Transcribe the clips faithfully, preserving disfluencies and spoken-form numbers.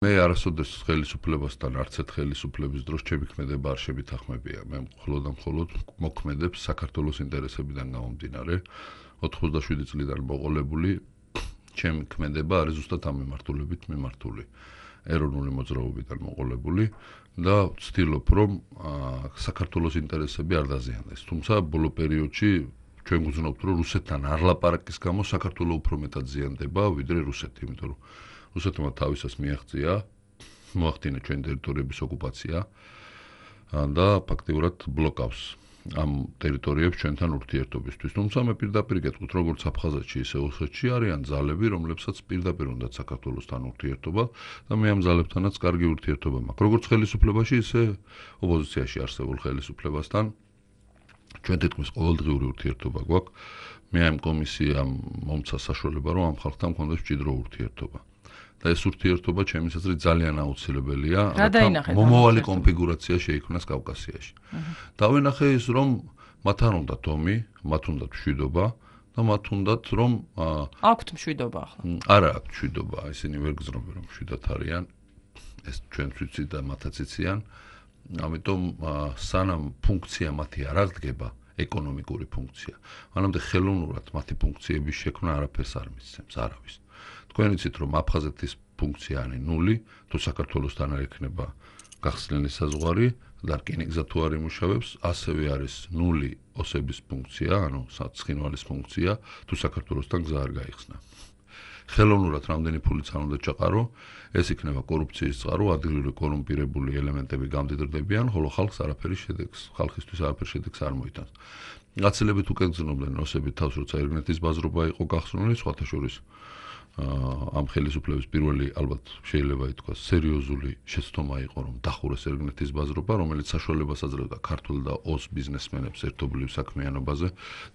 მე არასოდეს ხელისუფლებასთან არც ერთ ხელისუფლების დროს ჩემი ქმედება არ შევითანხმებია. მე მხოლოდ და მხოლოდ მოქმედებს საქართველოს ინტერესებიდან გამომდინარე. ოთხმოცდაშვიდი წლიდან მოყოლებული ჩემი ქმედება არის ზუსტად ამ მიმართულებით მიმართული. ეროვნული მოძრაობიდან მოყოლებული და ვცდილობ რომ საქართველოს ინტერესები არ დაზიანდეს. თუმცა ბოლო პერიოდში ჩვენ გვგზნობთ რომ რუსეთთან არ ლაპარაკის გამო საქართველოს უფრო მეტად ზიანდება ვიდრე რუსეთი, იმიტომ რომ რუსეთმა თავისას მიაღწია, მოახდინა ჩვენ ტერიტორიების ოკუპაცია და ფაქტიურად ბლოკავს ამ ტერიტორიებს ჩვენთან ურთიერთობისთვის. თუმცა მე პირდაპირ გეტყვით, როგორც აფხაზეთში, ისე ოსეთში არიან ძალები, რომლებსაც პირდაპირ უნდათ საქართველოსთან ურთიერთობა და მე ამ ძალებთანაც კარგი ურთიერთობა მაქვს. როგორც ხელისუფლებაში, ისე ოპოზიციაში არსებულ ხელისუფლებასთან ჩვენ თითქმის ყოველდღიური ურთიერთობა გვაქვს. მე ამ კომისიამ მომცა საშუალება, რომ ამ ხალხთან მქონდეს მჭიდრო ურთიერთობა. და ეს ურთიერთობა ჩემის აზრით ძალიან აუცილებელია, რადგან მომავალი კონფიგურაცია შეიქმნას კავკასიაში. დავინახე ის, რომ მათ არ უნდათ ომი, მათ უნდათ მშვიდობა და მათ უნდათ რომ აქვთ მშვიდობა ახლა. არა აქვთ მშვიდობა, ისინი ვერ გრძნობენ რომ მშვიდად არიან. ეს ჩვენც ვიცით და მათაც იციან. ამიტომ სანამ ფუნქცია მათი არ აღდგება, ეკონომიკური ფუნქცია, მანამდე ხელოვნურად მათი ფუნქციების შექმნა არაფერს არ მისცემს არავის. თქვენ იცით რომ აფხაზეთის ფუნქცია არის ნული, თუ საქართველოსთან არ ექნება გახსნილი საზღვარი და რკინიგზა თუ არ იმუშავებს, ასევე არის ნული ოსების ფუნქცია, ანუ ცხინვალის ფუნქცია, თუ საქართველოსთან გზა არ გაიხსნა. ხელოვნურად რამდენი ფულიც არ უნდა ჩაყარო, ეს იქნება კორუფციის წყარო, ადგილობრივი კორუმპირებული ელემენტები გამდიდრდებიან, ხოლო ხალხს არაფერი შედეგს, ხალხისთვის არაფერი შედეგს არ მოიტანს. გაცილებით უკეთ გრძნობდნენ ოსები თავს, როცა ერგნეთის ბაზრობა იყო გახსნილი, სხვათა შორის ამ ხელისუფლების პირველი ალბათ შეიძლება ითქვას სერიოზული შეცდომა იყო რომ დახურეს ერგნეთის ბაზრობა, რომელიც საშუალებას აძლევდა ქართულ და ოს ბიზნესმენებს ერთობლივ საქმიანობაზე.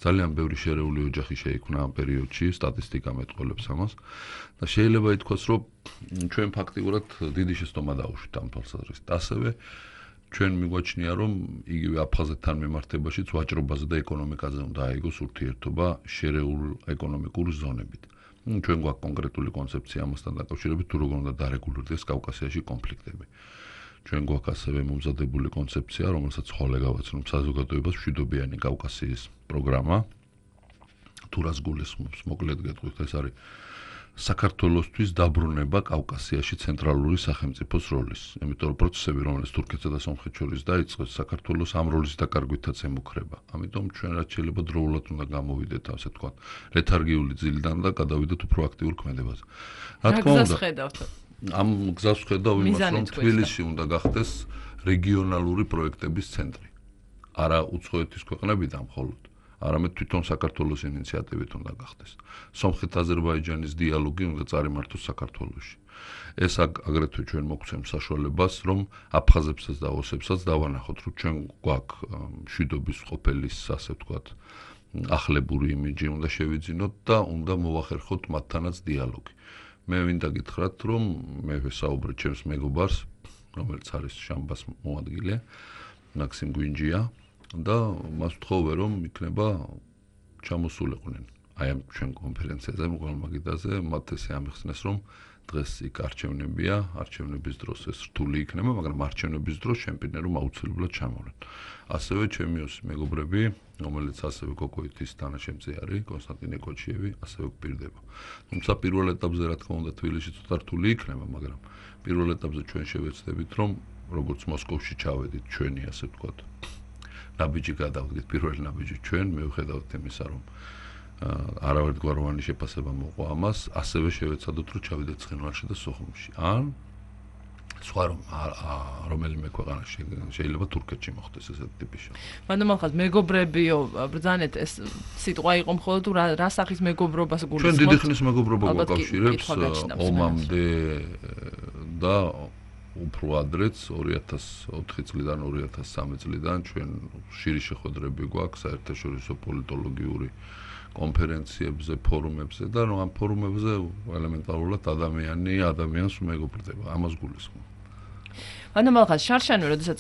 ძალიან ბევრი შერეული ოჯახი შეიქმნა ამ პერიოდში, სტატისტიკა მეტყველებს ამას და შეიძლება ითქვას რომ ჩვენ ფაქტიურად დიდი შეცდომა დაუშვით ამ თვალსაზრისით. ასევე ჩვენ მიგვაჩნია რომ იგივე აფხაზეთთან მიმართებაშიც ვაჭრობაზე და ეკონომიკაზე უნდა აიგოს ურთიერთობა შერეულ ეკონომიკურ ზონებით. ჩვენ გვაქვს კონკრეტული კონცეფცია ამასთან დაკავშირებით, თუ როგორ უნდა დარეგულირდეს კავკასიაში კონფლიქტები. ჩვენ გვაქვს ასევე მომზადებული კონცეფცია, რომელსაც ხოლე გავაცნობ საზოგადოებას მშვიდობიანი კავკასიის პროგრამა. თუ რას გულისხმობს, მოკლედ გეტყვით, ეს არის საქართველოსთვის დაბრუნება კავკასიაში ცენტრალური სახელმწიფოს როლის. იმიტომ რომ პროცესები, რომელიც თურქეთსა და სომხეთს შორის დაიწყო, საქართველოს ამ როლის დაკარგვითაც ემუქრება. ამიტომ ჩვენ რაც შეიძლება დროულად უნდა გამოვიდეთ, ასე თქვა, ლეთარგიული ძილიდან და გადავიდეთ უფრო აქტიურ ქმედებაზე. რა თქმა უნდა, ამ გზას ვხედავ იმას, რომ თბილისში უნდა გახდეს რეგიონალური პროექტების ცენტრი. არა უცხოეთის ქვეყნებიდან მხოლოდ. არამედ თვითონ საქართველოს ინიციატივით უნდა გახდეს. სომხეთ-აზერბაიჯანის დიალოგი უნდა წარიმართოს საქართველოში. ეს აგრეთვე ჩვენ მოგცემს საშუალებას, რომ აფხაზებსაც და ოსებსაც დავანახოთ, რომ ჩვენ გვაქვს მშვიდობის ყოფილის, ასე ვთქვათ, ახლებური იმიჯი უნდა შევიძინოთ და უნდა მოვახერხოთ მათთანაც დიალოგი. მე მინდა გითხრათ, რომ მე ვესაუბრე ჩემს მეგობარს, რომელიც არის შამბას მოადგილე, მაქსიმ გვინჯია. და მას ვთხოვე რომ იქნება ჩამოსულიყვნენ აი ამ ჩვენ კონფერენციაზე მოგალმაგიდაზე მათ ესე ამიხსნეს რომ დღეს იქ არჩევნებია არჩევნების დროს ეს რთული იქნება მაგრამ არჩევნების დროს შემპირდნენ რომ აუცილებლად ჩამოვლენ ასევე ჩემი მეგობრები რომელიც ასევე კოკოიტის თანაშემწე არის კონსტანტინე კოჩიევი ასევე გვპირდება თუმცა პირველ ეტაპზე რა თქმა უნდა თბილისში ცოტა რთული იქნება მაგრამ პირველ ეტაპზე ჩვენ შევეცდებით რომ როგორც მოსკოვში ჩავედით ჩვენი ასე ვთქვათ ნაბიჯი გადავდგეთ პირველი ნაბიჯი ჩვენ მივხედავთ იმისა რომ არავერთგვაროვანი შეფასება მოყვა ამას ასევე შევეცადოთ რომ ჩავიდეთ ცხინვალში და სოხუმში ან სხვა რომ რომელიმე ქვეყანაში შეიძლება თურქეთში მოხდეს ესეთი ტიპის შე. მანდ მოხდა მეგობრებიო ბრძანეთ ეს სიტყვა იყო მხოლოდ თუ რა სახის მეგობრობას გულისხმობთ? ჩვენ დიდი ხნის მეგობრობა გვაკავშირებს ომამდე და უფრო ადრეც ორი ათას ოთხი წლიდან ორი ათას სამი წლიდან ჩვენ ხშირი შეხვედრები გვაქვს საერთაშორისო პოლიტოლოგიური კონფერენციებზე, ფორუმებზე და რომ ამ ფორუმებზე ელემენტარულად ადამიანი ადამიანს უმეგობრდება, ამას გულისხმობ. ანუ მაგას შარშანო, როდესაც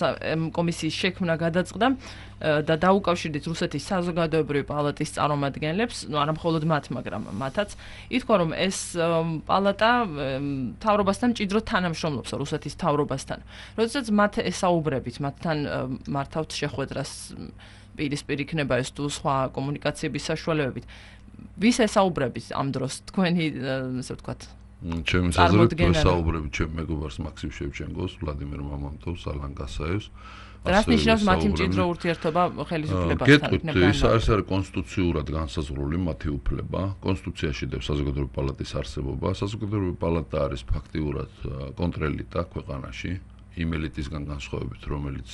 კომისიის შექმნა გადაწყდა და დაუკავშირდით რუსეთის საზოგადოებრივი პალატის წარმომადგენლებს, ну არა მხოლოდ მათ, მაგრამ მათაც, ითქვა რომ ეს პალატა მთავრობასთან მჭიდროდ თანამშრომლობს რუსეთის მთავრობასთან. როდესაც მათ ესაუბრებით, მათთან მართავთ შეხვედრას პირისპირ იქნება ეს თუ სხვა კომუნიკაციების საშუალებებით. ვის ესაუბრებით ამ დროს თქვენი, ასე ვთქვათ, ჩემი საზრით ვესაუბრები ჩემ მეგობარს მაქსიმ შევჩენკოს, ვლადიმერ მამამტოვს, ალან გასაევს. რას ნიშნავს მათი მჭიდრო ურთიერთობა ხელისუფლებასთან? გეტყვით, ეს არის არის კონსტიტუციურად განსაზღვრული მათი უფლება. კონსტიტუციაში დევს საზოგადოებრივი პალატის არსებობა. საზოგადოებრივი პალატა არის ფაქტიურად კონტრელიტა ქვეყანაში, იმ ელიტისგან განსხვავებით, რომელიც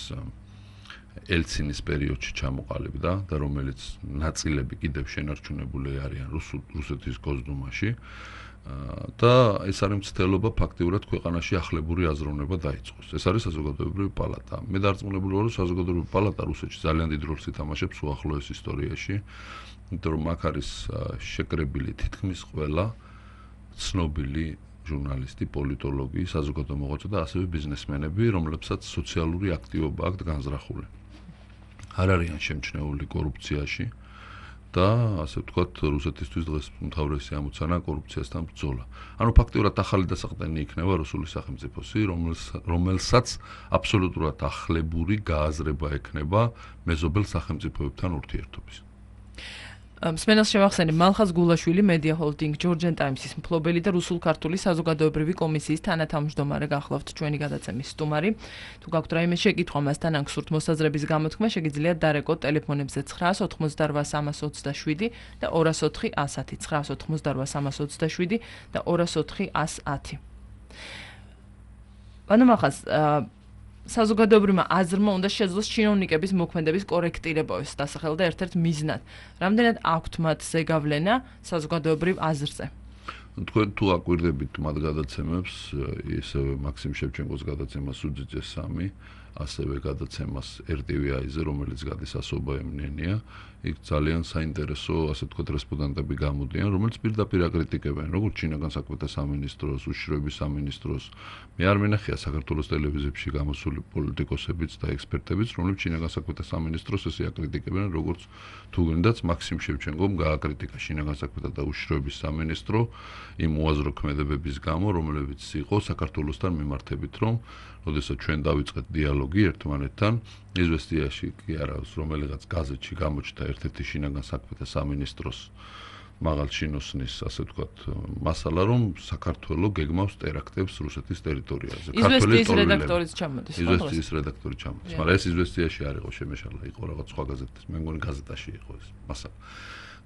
ელცინის პერიოდში ჩამოყალიბდა და რომელიც ნაწილები კიდევ შენარჩუნებული არიან რუსეთის გოსდუმაში. და ეს არის მცდელობა ფაქტიურად ქვეყანაში ახლებური აზროვნება დაიწყოს. ეს არის საზოგადოებრივი პალატა. მე დარწმუნებული ვარ, რომ საზოგადოებრივი პალატა რუსეთში ძალიან დიდ როლს ითამაშებს უახლოეს ისტორიაში, იმიტომ რომ აქ არის შეკრებილი თითქმის ყველა ცნობილი ჟურნალისტი, პოლიტოლოგი, საზოგადო მოღვაწე და ასევე ბიზნესმენები, რომლებსაც სოციალური აქტივობა აქვთ განზრახული. არ არიან შემჩნეული კორუფციაში. და ასე ვთქვათ, რუსეთისთვის დღეს უმთავრესი ამოცანა კორუფციასთან ბრძოლა. ანუ ფაქტიურად ახალი დასაყრდენი იქნება რუსული სახელმწიფოსი, რომელსაც აბსოლუტურად ახლებური გააზრება ექნება მეზობელ სახელმწიფოებთან ურთიერთობის. მსმენელს შევახსენებ, მალხაზ გულაშვილი, Media Holding, Georgian Times-ის მფლობელი და რუსულ-ქართული საზოგადოებრივი კომისიის თანათავმჯდომარე გახლავთ ჩვენი გადაცემის სტუმარი. თუ გაქვთ რაიმე შეკითხვა მასთან ან გსურთ მოსაზრების გამოთქმა, შეგიძლიათ დარეკოთ ტელეფონებზე ცხრაას ოთხმოცდარვას სამას ოცდაშვიდი და ორას ოთხი ასათი, ცხრაას ოთხმოცდარვას სამას ოცდაშვიდი და ორას ოთხი ასათი. ანუ მაგას საზოგადოებრივმა აზრმა უნდა შეძლოს ჩინოვნიკების მოქმედების კორექტირებას დასახელდა ერთ-ერთ მიზნად. რამდენად აქვთ მათ ზეგავლენა საზოგადოებრივ აზრზე? თქვენ თუ აკვირდებით მათ გადაცემებს, ისევე მაქსიმ შევჩენკოს გადაცემას უძიძე სამი, ასევე გადაცემას er te ve ზე, რომელიც გადის ასობა ემნენია, იქ ძალიან საინტერესო, ასე ვთქვათ, რესპონდენტები გამოდიან, რომელიც პირდაპირ აკრიტიკებენ, როგორც ჩინაგან საქმეთა სამინისტროს, უშიშროების სამინისტროს. მე არ მინახია საქართველოს ტელევიზიებში გამოსული პოლიტიკოსებიც და ექსპერტებიც, რომლებიც ჩინაგან საქმეთა სამინისტროს ესე აკრიტიკებენ, როგორც თუ გინდაც მაქსიმ შევჩენკომ გააკრიტიკა ჩინაგან საქმეთა და უშიშროების სამინისტრო იმ უაზრო ქმედებების გამო, რომლებიც იყო საქართველოსთან მიმართებით, რომ როდესაც ჩვენ დავიწყეთ დიალოგი ერთმანეთთან, იზვესტიაში კი არა, რომელიღაც გაზეთში გამოჩნდა ერთ-ერთი შინაგან საქმეთა სამინისტროს მაღალ ჩინოსნის, ასე ვთქვათ, მასალა, რომ საქართველოს გეგმავს ტერაქტებს რუსეთის ტერიტორიაზე. იზვესტიის რედაქტორიც ჩამოდის. იზვესტიის რედაქტორი ჩამოდის, მაგრამ ეს იზვესტიაში არ იყო შემეშალა, იყო რაღაც სხვა გაზეთის, მე მგონი გაზეთაში იყო ეს მასალა.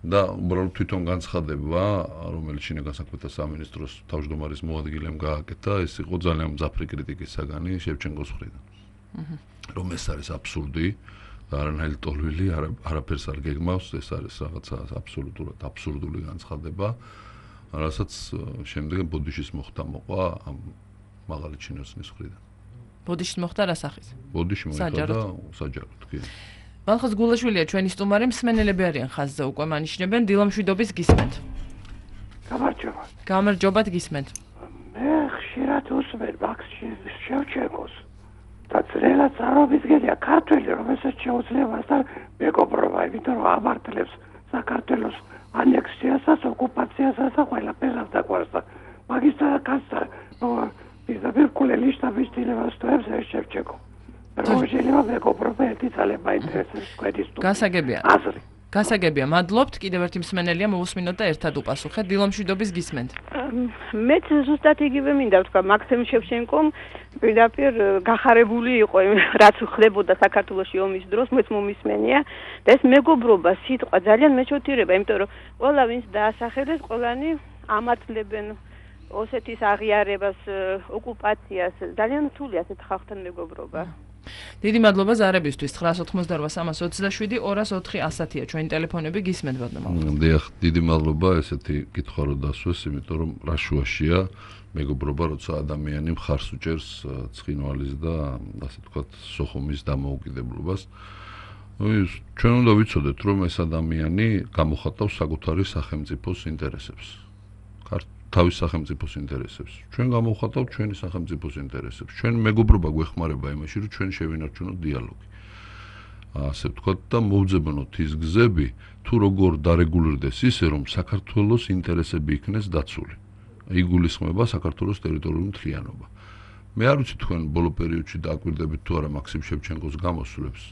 და უბრალოდ თვითონ განცხადება, რომელიც შინაგან საქმეთა სამინისტროს თავმჯდომარის მოადგილემ გააკეთა, ეს იყო ძალიან მძაფრი კრიტიკის საგანი შევჩენკოს მხრიდან. რომ ეს არის აბსურდი და არანაირი ტოლვილი, არაფერს არ გეგმავს, ეს არის რაღაცა აბსოლუტურად აბსურდული განცხადება, რასაც შემდეგ ბოდიშის მოხდა მოყვა ამ მაღალი ჩინოსნის მხრიდან. ბოდიშის მოხდა რა სახის? ბოდიში მოხდა საჯაროდ, კი. მალხაზ გულაშვილია ჩვენი სტუმარი, მსმენელები არიან ხაზზე უკვე მანიშნებენ, დილამშვიდობის გისმენთ. გამარჯობა. გამარჯობათ გისმენთ. მე ხშირად უსმენ მაქს შევჩენკოს და ძნელად წარმოვიდგენია ქართველი, რომელსაც შეუძლია მასთან მეგობრობა, იმიტომ რომ ამართლებს საქართველოს ანექსიასაც, ოკუპაციასაც და ყველაფერს დაყვარს და მაგისტრატ კაცთან პირდაპირ კულელი შტაბის დილევასტოებს ეს შევჩენკო. შეიძლება მეგობრობა ერთი ძალიან მაინტერესებს კვეთის თუ გასაგებია. აზრი. გასაგებია, მადლობთ. კიდევ ერთი მსმენელია მოვუსმინოთ და ერთად უპასუხეთ. დილამშვიდობის გისმენთ. მეც ზუსტად იგივე მინდა ვთქვა, მაქსიმ შევჩენკომ პირდაპირ გახარებული იყო რაც ხდებოდა საქართველოში ომის დროს, მეც მომისმენია და ეს მეგობრობა სიტყვა ძალიან მეჩვეულებია, იმიტომ რომ ყველა ვინც დაასახელეს, ყველანი ამართლებენ ოსეთის აღიარებას, ოკუპაციას, ძალიან რთულია ასეთ ხალხთან მეგობრობა. დიდი მადლობა ზარებისთვის. ცხრაას ოთხმოცდარვა სამას ოცდაშვიდი ორას ოთხი ასათია ჩვენი ტელეფონები, გისმენთ ბატონო. დიახ, დიდი მადლობა, ესეთი კითხვა რო დასვეს, იმიტომ რომ რა შუაშია მეგობრობა, როცა ადამიანი მხარს უჭერს ცხინვალის და ასე ვთქვათ, სოხუმის დამოუკიდებლობას. ჩვენ უნდა ვიცოდეთ, რომ ეს ადამიანი გამოხატავს საკუთარი სახელმწიფოს ინტერესებს. თავის სახელმწიფოს ინტერესებს. ჩვენ გამოვხატავთ ჩვენი სახელმწიფოს ინტერესებს. ჩვენ მეგობრობა გვეხმარება იმაში, რომ ჩვენ შევინარჩუნოთ დიალოგი. ასე ვთქვათ და მოვძებნოთ ის გზები, თუ როგორ დარეგულირდეს ისე, რომ საქართველოს ინტერესები იქნეს დაცული. იგულისხმება საქართველოს ტერიტორიული მთლიანობა. მე არ ვიცი თქვენ ბოლო პერიოდში დააკვირდებით თუ არა მაქსიმ შევჩენკოს გამოსვლებს,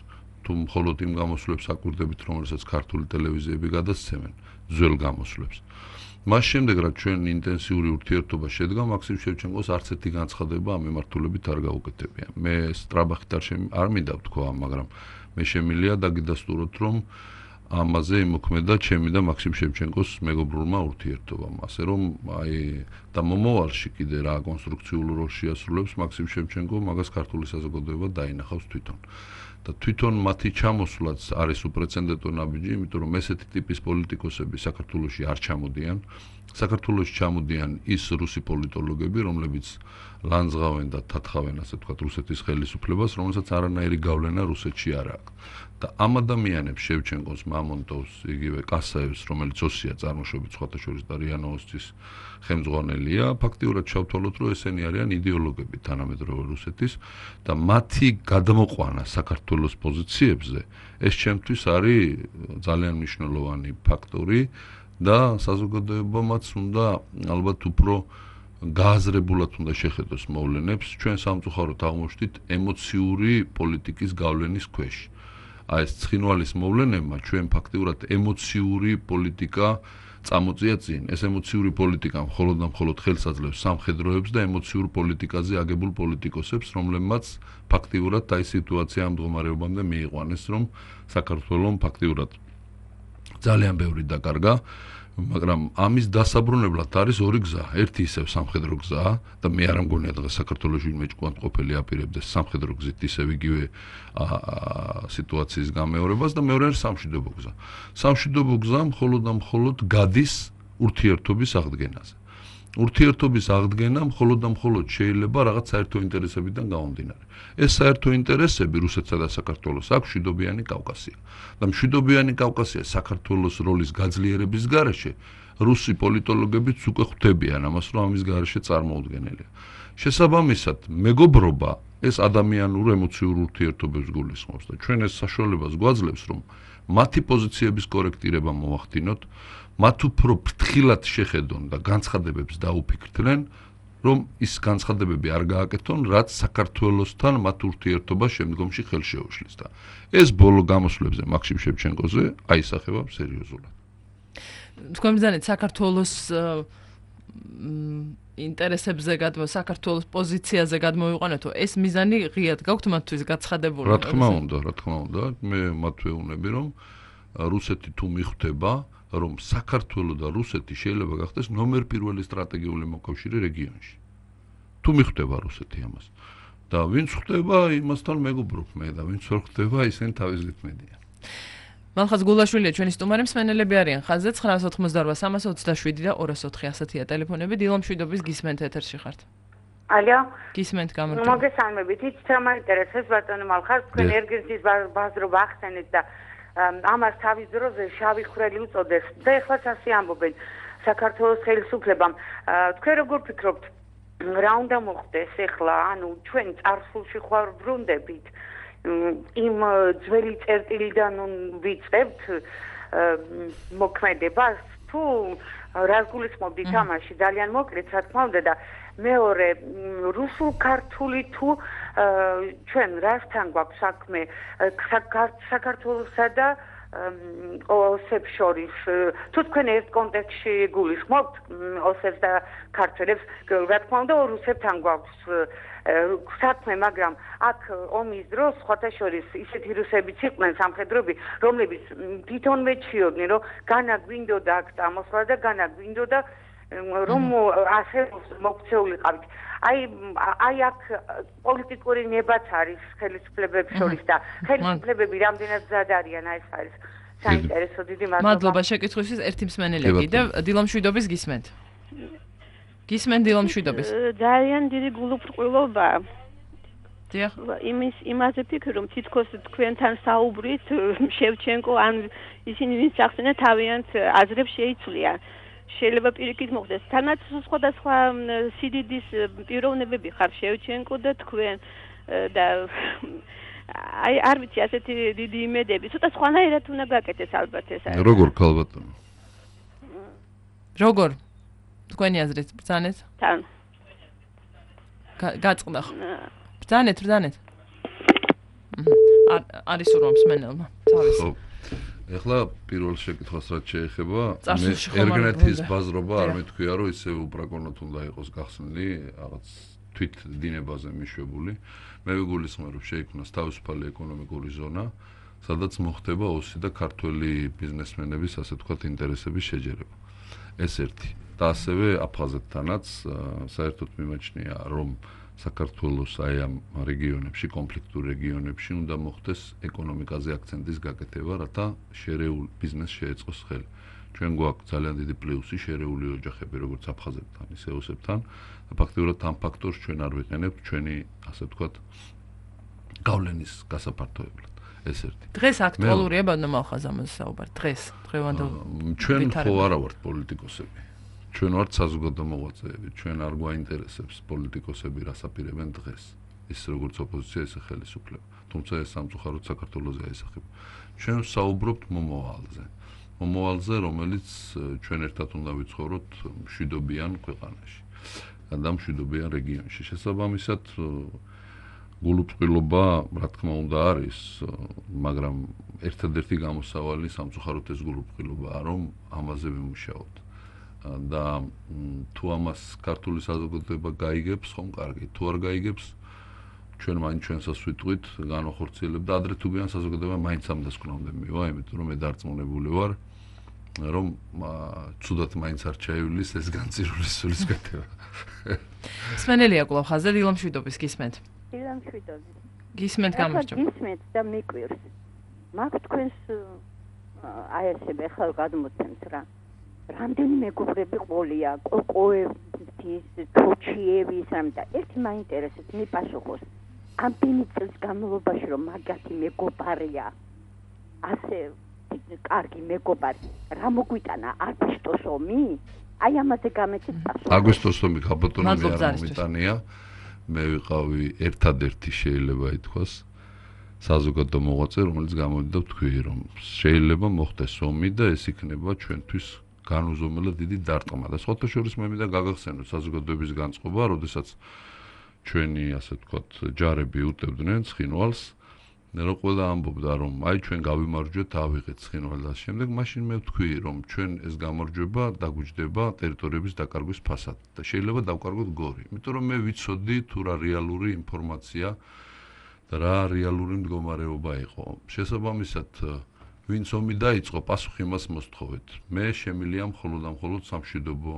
თუ მხოლოდ იმ გამოსვლებს აკვირდებით, რომელსაც ქართული ტელევიზიები გადასცემენ, ძველ გამოსვლებს. მას შემდეგ, რაც ჩვენ ინტენსიური ურთიერთობა შედგა, მაქსიმ შევჩენკოს არც ერთი განცხადება ამ მიმართულებით არ გაუკეთებია. მე სტრაბახით არ შემ არ მინდა ვთქვა, მაგრამ მე შემიძლია დაგიდასტუროთ, რომ ამაზე იმოქმედა ჩემი და მაქსიმ შევჩენკოს მეგობრულმა ურთიერთობამ. ასე რომ აი და მომავალში კიდე რა კონსტრუქციულ როლს შეასრულებს მაქსიმ შევჩენკო, მაგას ქართული საზოგადოება დაინახავს თვითონ. და თვითონ მათი ჩამოსვლაც არის უპრეცედენტო ნაბიჯი, იმიტომ რომ ესეთი ტიპის პოლიტიკოსები საქართველოში არ ჩამოდიან. საქართველოში ჩამოდიან ის რუსი პოლიტოლოგები, რომლებიც ლანძღავენ და თათხავენ, ასე ვთქვათ, რუსეთის ხელისუფლებას, რომელსაც არანაირი გავლენა რუსეთში არ აქვს. და ამ ადამიანებს შევჩენკოს, მამონტოვს, იგივე კასაევს, რომელიც ოსია წარმოშობით სხვათა შორის და რიანოვოსის ხელმძღვანელია, ფაქტიურად ჩავთვალოთ, რომ ესენი არიან იდეოლოგები თანამედროვე რუსეთის და მათი გადმოყვანა საქართველოს პოზიციებზე ეს ჩემთვის არის ძალიან მნიშვნელოვანი ფაქტორი და საზოგადოებამაც უნდა ალბათ უფრო გააზრებულად უნდა შეხედოს მოვლენებს. ჩვენ სამწუხაროდ აღმოჩნდით ემოციური პოლიტიკის გავლენის ქვეშ. აი ეს ცხინვალის მოვლენებმა ჩვენ ფაქტიურად ემოციური პოლიტიკა წამოწია წინ. ეს ემოციური პოლიტიკა მხოლოდ და მხოლოდ ხელს აძლევს სამხედროებს და ემოციურ პოლიტიკაზე აგებულ პოლიტიკოსებს, რომლებმაც ფაქტიურად აი სიტუაცია ამ მდგომარეობამდე მიიყვანეს, რომ საქართველოს ფაქტიურად ძალიან ბევრი დაკარგა, მაგრამ ამის დასაბრუნებლად არის ორი გზა. ერთი ისევ სამხედრო გზაა და მე არ მგონია დღეს საქართველოში ვინმე ჭკვანტყოფელი აპირებდეს სამხედრო გზით ისევ იგივე სიტუაციის გამეორებას და მეორე არის სამშვიდობო გზა. სამშვიდობო გზა მხოლოდ და მხოლოდ გადის ურთიერთობის აღდგენაზე. ურთიერთობის აღდგენა მხოლოდ და მხოლოდ შეიძლება რაღაც საერთო ინტერესებიდან გამომდინარე. ეს საერთო ინტერესები რუსეთსა და საქართველოს აქვს მშვიდობიანი კავკასია. და მშვიდობიანი კავკასია საქართველოს როლის გაძლიერების გარეშე რუსი პოლიტოლოგებიც უკვე ხვდებიან ამას, რომ ამის გარეშე წარმოუდგენელია. შესაბამისად, მეგობრობა ეს ადამიანურ ემოციურ ურთიერთობებს გულისხმობს და ჩვენ ეს საშუალებას გვაძლევს, რომ მათი პოზიციების კორექტირება მოვახდინოთ, მათ უფრო ფრთხილად შეხედონ და განცხადებებს დაუფიქრდნენ, რომ ის განცხადებები არ გააკეთონ, რაც საქართველოსთან მათ ურთიერთობას შემდგომში ხელს შეუშლის და ეს ბოლო გამოსვლებზე მაქსიმ შევჩენკოზე აისახება სერიოზულად. თქვენ ბრძანეთ საქართველოს ინტერესებზე გადმო საქართველოს პოზიციაზე გადმოვიყვანეთო, ეს მიზანი ღიად გაქვთ მათთვის გაცხადებული? რა თქმა უნდა, რა თქმა უნდა, მე მათ ვეუბნები, რომ რუსეთი თუ მიხვდება, რომ საქართველო და რუსეთი შეიძლება გახდეს ნომერ პირველი სტრატეგიული მოკავშირე რეგიონში. თუ მიხვდება რუსეთი ამას და ვინც ხვდება, იმასთან მეგობრობ მე და ვინც ვერ ხვდება, ისინი თავის გითმედიან. მალხაზ გულაშვილია ჩვენი სტუმარი, მსმენელები არიან ხაზზე ცხრაას ოცდაოთხმოცდაორვა სამას ოცდაშვიდი და ორას ოთხი ასეთია ტელეფონები. დილო მშვიდობის, გისმენთ ეთერში ხართ. ალო, გისმენთ გამარჯობა. მოგესალმებით, იცით რა მაინტერესებს ბატონო მალხაზ, თქვენ ერგენსის ბაზრობა ახსენეთ და ამას თავის დროზე შავი ხვრელი უწოდეს და ეხლაც ასე ამბობენ საქართველოს ხელისუფლებამ. თქვენ როგორ ფიქრობთ, რა უნდა მოხდეს ეხლა, ანუ ჩვენ წარსულში ხარ ბრუნდებით იმ ძველი წერტილიდან ვიწყებთ მოქმედებას, თუ რას გულისხმობთ თამაში, ძალიან მოკლედ რა თქმა უნდა და მეორე რუსულ ქართული თუ ჩვენ რასთან გვაქვს საქმე საქართველოსა და ოსებს შორის, თუ თქვენ ერთ კონტექსტში გულისხმობთ ოსებს და ქართველებს, რა თქმა უნდა რუსებთან გვაქვს საქმე, მაგრამ აქ ომის დროს სხვათა შორის ისეთი რუსებიც იყვნენ სამხედროები, რომლებიც თვითონ მეჩიოდნენ, რომ განა გვინდოდა აქ წამოსვლა და განა გვინდოდა რომ ასე მოქცეულიყავით. აი აი აქ პოლიტიკური ნებაც არის ხელისუფლებებს შორის და ხელისუფლებები რამდენად მზად არიან, აი ეს არის საინტერესო. დიდი მადლობა. მადლობა შეკითხვისთვის. ერთი მსმენელი კიდევ დილო მშვიდობის, გისმენთ. გისმენთ დილო მშვიდობის. ძალიან დიდი გულუბრყვილობა. დიახ. იმის იმაზე ფიქრობ, რომ თითქოს თქვენთან საუბრით შევჩენკო ან ისინი ვინც ახსენა თავიანთ აზრებს შეიცვლიან. შეიძლება პირიქით მოხდეს. თანაც სხვადასხვა სიდიდის პიროვნებები ხარ შევჩენკო და თქვენ და აი არ ვიცი ასეთი დიდი იმედები. ცოტა სხვანაირად უნდა გაკეთდეს ალბათ ეს არის. როგორ ქალბატონო? როგორ? თქვენი აზრით ბრძანეთ? თან. გაწყდა ხო? ბრძანეთ, ბრძანეთ. არის უბრალოდ მსმენელმა. თავის. ხო. ეხლა პირველ შეკითხვას რაც შეეხება, მე ერგენეთის ბაზრობა არ მეთქვია, რომ ისე უპრაკონოთ უნდა იყოს გახსნილი, რაღაც თვით დინებაზე მიშვებული. მე ვიგულისხმევ, რომ შეიქმნას თავისუფალი ეკონომიკური ზონა, სადაც მოხდება ოსი და ქართველი ბიზნესმენების, ასე ვთქვათ, ინტერესების შეჯერება. ეს ერთი. და ასევე აფხაზეთთანაც საერთოდ მიმაჩნია, რომ საქართველოს აი ამ რეგიონებში, კონფლიქტურ რეგიონებში უნდა მოხდეს ეკონომიკაზე აქცენტის გაკეთება, რათა შერეული ბიზნესი შეეწყოს ხელი. ჩვენ გვაქვს ძალიან დიდი პლუსი შერეული ოჯახები, როგორც აფხაზეთთან, ისე ოსებთან. და ფაქტობრივად ამ ფაქტორს ჩვენ არ ვიყენებთ ჩვენი, ასე ვთქვათ, გავლენის გასაფართოებლად. ეს ერთი. დღეს აქტუალურია ბანომალხაზ ამაზე საუბარი. დღეს, დღევანდელ. ჩვენ ხო არა ვართ პოლიტიკოსები. ჩვენ ვართ საზოგადო მოღვაწეები, ჩვენ არ გვაინტერესებს პოლიტიკოსები რას აპირებენ დღეს. ის როგორც ოპოზიცია, ისე ხელისუფლება. თუმცა ეს სამწუხაროდ საქართველოზე აისახება. ჩვენ საუბრობთ მომავალზე. მომავალზე, რომელიც ჩვენ ერთად უნდა ვიცხოვროთ მშვიდობიან ქვეყანაში. და მშვიდობიან რეგიონში. შესაბამისად, გულუწყვილობა, რა თქმა უნდა, არის, მაგრამ ერთადერთი გამოსავალი სამწუხაროდ ეს გულუწყვილობაა, რომ ამაზე ვიმუშაოთ. და თუ ამას ქართული საზოგადოება გაიგებს, ხომ კარგი, თუ არ გაიგებს, ჩვენ მაინც ჩვენსაც ვიტყვით, განვახორციელებ და ადრე თუ გვიან საზოგადოება მაინც ამ დასკვნამდე მივა, იმიტომ რომ მე დარწმუნებული ვარ, რომ ცუდად მაინც არ ჩაივლის ეს განწირული სულისკვეთება. სმენელია კვლავ ხაზზე დილამშვიდობის გისმენთ. დილამშვიდობის. გისმენთ გამარჯობა. გისმენთ და მიკვირს. მაგ თქვენს აი ესე მე ხალ გადმოცემთ რა. რამდენი მეგობრები ყოლია, კოკოების, თოჩიების, ამდა. ერთი მაინტერესებს, მიპასუხოს. ამდენი წელს განმავლობაში რომ მაგათი მეგობარია, ასე კარგი მეგობარი, რა მოგვიტანა აგვისტოს ომი? აი ამაზე გამეცით პასუხი. აგვისტოს ომი ქალბატონო მე არ მომიტანია. მე ვიყავი ერთადერთი შეიძლება ითქვას საზოგადო მოღვაწე, რომელიც გამოდიდა თქვი, რომ შეიძლება მოხდეს ომი და ეს იქნება ჩვენთვის განუზომელად დიდი დარტყმა. და სხვათა შორის მე მინდა გაგახსენოთ საზოგადოების განწყობა, როდესაც ჩვენი, ასე ვთქვათ, ჯარები უტევდნენ ცხინვალს, რომ ყველა ამბობდა, რომ აი ჩვენ გავიმარჯვეთ, ავიღეთ ცხინვალს და შემდეგ, მაშინ მე ვთქვი, რომ ჩვენ ეს გამარჯვება დაგვიჯდება ტერიტორიების დაკარგვის ფასად და შეიძლება დავკარგოთ გორი. იმიტომ რომ მე ვიცოდი თუ რა რეალური ინფორმაცია და რა რეალური მდგომარეობა იყო. შესაბამისად, ვინც ომი დაიწყო, პასუხი იმას მოსთხოვეთ. მე შემილია მხოლოდ და მხოლოდ სამშვიდობო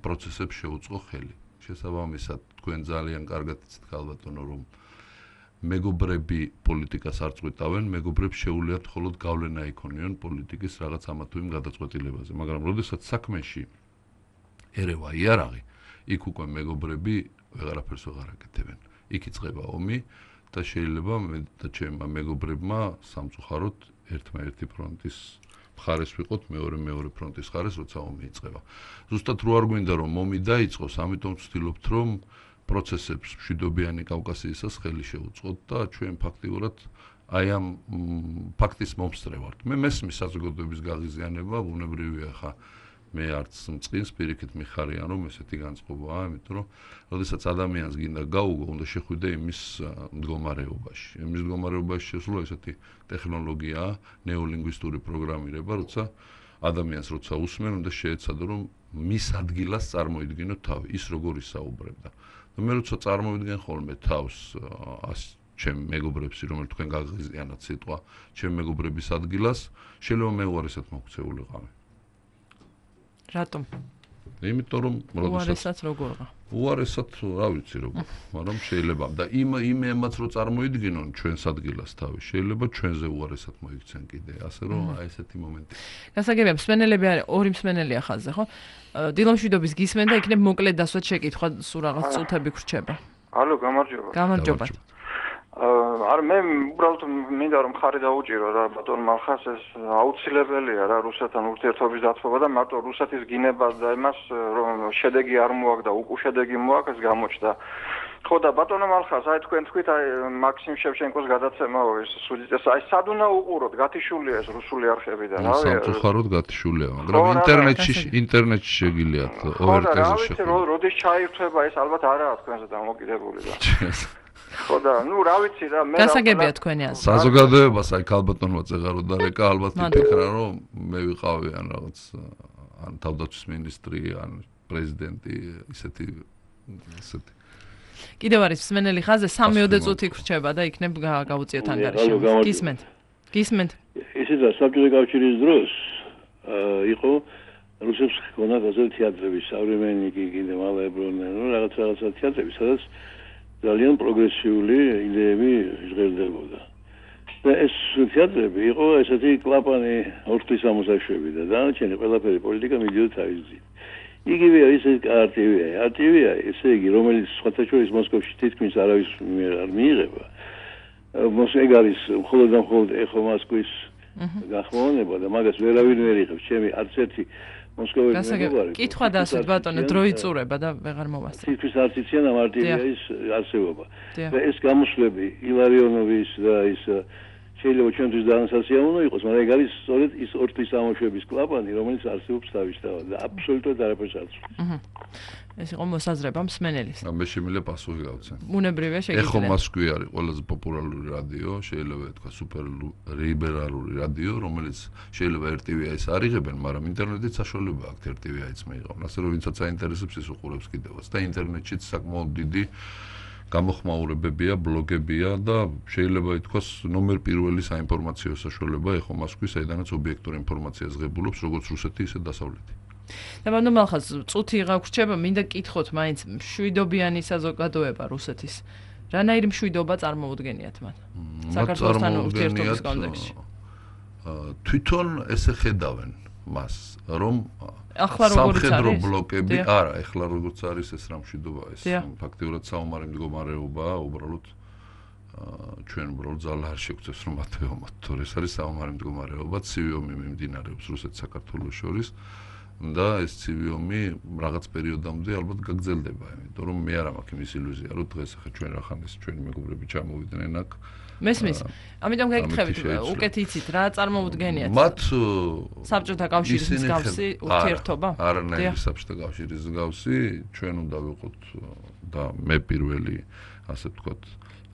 პროცესებს შეუწყო ხელი. შესაბამისად, თქვენ ძალიან კარგად იცით ქალბატონო, რომ მეგობრები პოლიტიკას არ წყვიტავენ, მეგობრებს შეუძლიათ მხოლოდ გავლენა იქონიონ პოლიტიკის რაღაც ამა თუ იმ გადაწყვეტილებაზე, მაგრამ როდესაც საქმეში ერევა იარაღი, იქ უკვე მეგობრები ვეღარაფერს ვეღარ აკეთებენ. იქ იწყება ომი და შეიძლება მე და ჩემმა მეგობრებმა სამწუხაროდ ერთმანეთი ფრონტის მხარეს ვიყოთ, მეორე მეორე ფრონტის მხარეს, როცა ომი იწყება. ზუსტად რო არ გვინდა რომ ომი დაიწყოს, ამიტომ ვცდილობთ რომ პროცესებს მშვიდობიანი კავკასიისას ხელი შეუწყოთ და ჩვენ ფაქტიურად აი ამ ფაქტის მომსწრე ვართ. მე მესმის საზოგადოების გაღიზიანება, ბუნებრივია ხა მე არც მწყინს პირიქით მიხარიან რომ ესეთი განწყობაა, იმიტომ რომ როდესაც ადამიანს გინდა გაუგო, უნდა შეხვიდე იმის მდგომარეობაში. იმის მდგომარეობაში შესვლა ესეთი ტექნოლოგიაა, ნეოლინგვისტური პროგრამირება, როცა ადამიანს როცა უსმენ, უნდა შეეცადო რომ მის ადგილას წარმოიდგინო თავი, ის როგორ ისაუბრებდა. და მე როცა წარმოვიდგენ ხოლმე თავს ჩემ მეგობრებს, რომელიც თქვენ გაღიზიანათ სიტყვა, ჩემ მეგობრების ადგილას, შეიძლება მე უარესად მოქცეულიყავი. რატომ? იმიტომ რომ უარესად როგორღა? უარესად რა ვიცი როგორ, მაგრამ შეიძლება და იმ იმ ემაც რო წარმოიდგინონ ჩვენს ადგილას თავი, შეიძლება ჩვენზე უარესად მოიქცენ კიდე, ასე რომ აი ესეთი მომენტი. გასაგებია, მსმენელები არის ორი მსმენელია ხაზზე, ხო? დილამშვიდობის გისმენ და იქნებ მოკლედ დასვათ შეკითხვა, სულ რაღაც წუთები გრჩება. ალო, გამარჯობა. გამარჯობა. აა არ მე უბრალოდ მინდა რომ ხარი დაუჭირო რა ბატონ მალხას ეს აუცილებელია რა რუსეთთან ურთიერთობის დათბობა და მარტო რუსეთის გინებას და იმას რომ შედეგი არ მოაქვს და უკუშედეგი მოაქვს ეს გამოჩნდა. ხო და ბატონო მალხას აი თქვენ თქვით აი მაქსიმ შევჩენკოს გადაცემაო ეს სუდიტეს აი სად უნდა უყუროთ გათიშულია ეს რუსული არხებიდან რა ვიცი სამწუხაროდ გათიშულია მაგრამ ინტერნეტში ინტერნეტში შეგიძლიათ ო ერ ტე-ზე შეხვდეთ როდის ჩაირთვება ეს ალბათ არაა თქვენზე დამოკიდებული და ხო და ნუ რა ვიცი რა მე გასაგებია თქვენი აზრი საზოგადოებას აი ქალბატონმა წეღარო და რეკა ალბათ იფიქრა რომ მე ვიყავი ან რაღაც ან თავდაცვის მინისტრი ან პრეზიდენტი ისეთი ისეთი კიდევ არის მსმენელი ხაზზე სამიოდე წუთი გრჩება და იქნებ გავუწიოთ ანგარიში. გისმენთ. გისმენთ. ისიც საბჭოთა კავშირის დროს იყო რუსებს ჰქონდა გაზეთ თეატრები, სავრემენიკი, კიდე მალებრონე, ნუ რაღაც რაღაცა თეატრები, სადაც ძალიან პროგრესიული იდეები ჟღერდებოდა. და ეს თეატრები იყო ესეთი კლაპანი ორთის ამოსაშვები და დანარჩენი ყველაფერი პოლიტიკა მიდიოდა თავის გზით. იგივე ის არ ტე ვი, არ ტე ვი ესე იგი რომელიც სხვათა შორის მოსკოვში თითქმის არავის არ მიიღება. მოსკოვი არის მხოლოდ და მხოლოდ ეხო მოსკოვის გახმოვანება და მაგას ვერავინ ვერ იღებს. ჩემი არც ერთი მოსკოველი მეგობარი. კითხვა დასვით ბატონო, დრო იწურება და ვეღარ მოვასწრებ. თითქმის არც იციან ამ არ ტე ვი-ის არსებობა. და ეს გამოსვლები ილარიონოვის და ის შეიძლება ჩვენთვის დაანსაცია უნდა იყოს, მაგრამ ეგ არის სწორედ ის ორთის ამოშვების კლაპანი, რომელიც არსებობს თავისთავად და აბსოლუტურად არაფერს არ ცვლის. აჰა. ეს იყო მოსაზრება მსმენელის. მე შემიძლია პასუხი გავცე. უნებრივია შეგიძლია. ეხო მოსკოვი არის ყველაზე პოპულარული რადიო, შეიძლება ითქვა სუპერ ლიბერალური რადიო, რომელიც შეიძლება ერ ტე ვი-ის არ იღებენ, მაგრამ ინტერნეტით საშუალება აქვს ერ ტე ვი-ის მეიღონ. ასე რომ ვინცაც აინტერესებს ის უყურებს კიდევაც და ინტერნეტშიც საკმაოდ დიდი გამოხმაურებებია, ბლოგებია და შეიძლება ითქვას ნომერ პირველი საინფორმაციო საშუალება ეხო მოსკოვის საიდანაც ობიექტურ ინფორმაციას ღებულობს როგორც რუსეთი, ისე დასავლეთი. და ბანდო მალხას წუთი გაგვრჩება, მინდა კითხოთ მაინც მშვიდობიანი საზოგადოება რუსეთის. რანაირი მშვიდობა წარმოუდგენიათ მათ? საქართველოსთან ურთიერთობის კონტექსტში. თვითონ ესე ხედავენ მას, რომ ახლა როგორც არის სამხედრო ბლოკები, არა, ახლა როგორც არის ეს რა მშვიდობა ეს ფაქტიურად საომარი მდგომარეობაა, უბრალოდ ჩვენ უბრალოდ ძალა არ შეგვწევს რომ მათეომოთ, თორე ეს არის საომარი მდგომარეობა, ცივი ომი მიმდინარეობს რუსეთ-საქართველოს შორის და ეს ცივი ომი რაღაც პერიოდამდე ალბათ გაგრძელდება, იმიტომ რომ მე არ მაქვს იმის ილუზია, რომ დღეს ახლა ჩვენ რახანეს ჩვენი მეგობრები ჩამოვიდნენ აქ მესმის. ამიტომ გეკითხებით, უკეთ იცით რა წარმოუდგენიათ? მათ საბჭოთა კავშირის მსგავსი ურთიერთობა? არანაირი საბჭოთა კავშირის მსგავსი, ჩვენ უნდა ვიყოთ და მე პირველი, ასე ვთქვათ,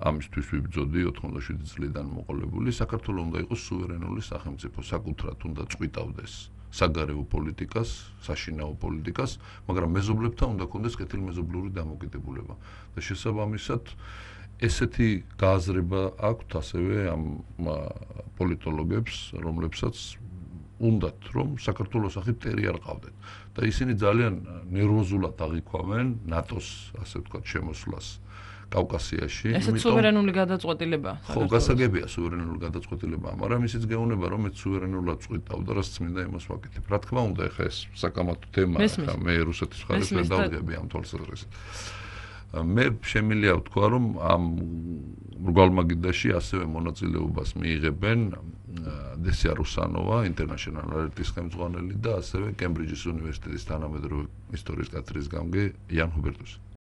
ამისთვის ვიბრძოდი ოთხმოცდაშვიდი წლიდან მოყოლებული, საქართველოს უნდა იყოს სუვერენული სახელმწიფო, საკუთრად უნდა წვიტავდეს საგარეო პოლიტიკას, საშინაო პოლიტიკას, მაგრამ მეზობლებთან უნდა ქონდეს კეთილმეზობლური დამოკიდებულება. და შესაბამისად ესეთი გააზრება აქვთ ასევე ამ პოლიტოლოგებს, რომლებსაც უნდათ რომ საქართველოს სახით ტერი არ ყავდეთ და ისინი ძალიან ნერვოზულად აღიქვამენ ნატოს, ასე ვთქვათ, შემოსვლას კავკასიაში. ესეც სუვერენული გადაწყვეტილებაა. ხო, გასაგებია სუვერენული გადაწყვეტილებაა, მაგრამ ისიც გეუბნება რომ მეც სუვერენულად წვიტავ და რაც წმინდა იმას ვაკეთებ. რა თქმა უნდა, ეხა ეს საკამათო თემაა, ხა მე რუსეთის მხარეს ვერ დავდგები ამ თვალსაზრისით. მე შემიძლია ვთქვა, რომ ამ მრგვალმაგიდაში ასევე მონაწილეობას მიიღებენ დესია რუსანოვა, ინტერნაშნალ ალერტის ხელმძღვანელი და ასევე კემბრიჯის უნივერსიტეტის თანამედროვე ისტორიის კათედრის გამგე იან ჰუბერტუსი.